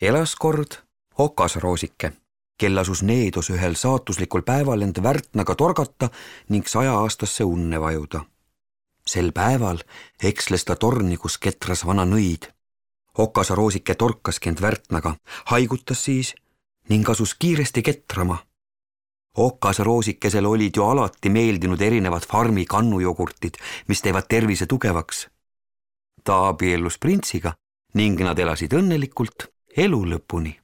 Elas kord okasroosike, kel asus needos ühel saatuslikul päeval end Värtnaga torgata ning 100-aastasse unne vajuda. Sel päeval eksles ta torni, kus ketras vana nõid. Okasaroosike torkaski end Värtnaga, haigutas siis ning asus kiiresti ketrama. Okasaroosikesel olid ju alati meeldinud erinevad farmi kannujogurtid, mis teevad tervise tugevaks. Ta abiellus printsiga ning nad elasid õnnelikult elu lõpuni.